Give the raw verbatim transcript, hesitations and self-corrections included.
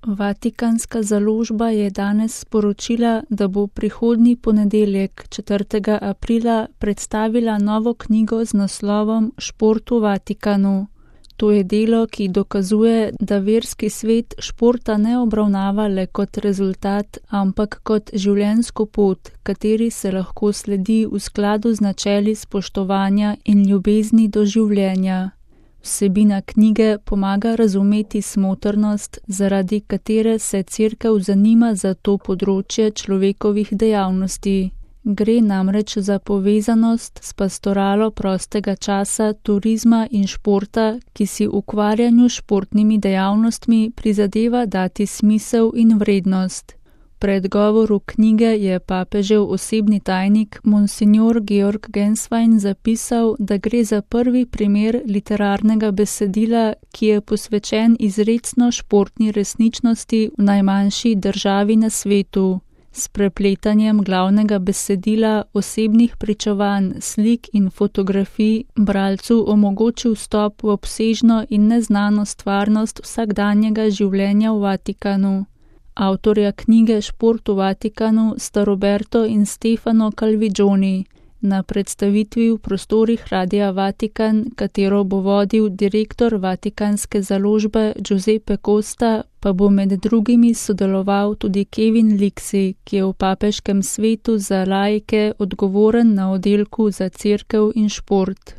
Vatikanska založba je danes sporočila, da bo prihodnji ponedeljek, četrtega aprila, predstavila novo knjigo z naslovom Šport v Vatikanu. To je delo, ki dokazuje, da verski svet športa ne obravnava le kot rezultat, ampak kot življenjsko pot, kateri se lahko sledi v skladu z načeli spoštovanja in ljubezni do življenja. Vsebina knjige pomaga razumeti smotrnost, zaradi katere se Cerkev zanima za to področje človekovih dejavnosti. Gre namreč za povezanost s pastoralo prostega časa, turizma in športa, ki si ukvarjanju s športnimi dejavnostmi prizadeva dati smisel in vrednost. V predgovoru knjige je papežev osebni tajnik Monsignor Georg Genswein zapisal, da gre za prvi primer literarnega besedila, ki je posvečen izrecno športni resničnosti v najmanjši državi na svetu. S prepletanjem glavnega besedila, osebnih pričevanj, slik in fotografij bralcu omogoči vstop v obsežno in neznano stvarnost vsakdanjega življenja v Vatikanu. Avtorja knjige Šport v Vatikanu sta Roberto in Stefano Calvigioni. Na predstavitvi v prostorih Radia Vatikan, katero bo vodil direktor Vatikanske založbe Giuseppe Costa, pa bo med drugimi sodeloval tudi Kevin Liksi, ki je v papeškem svetu za laike odgovoren na oddelku za cerkev in šport.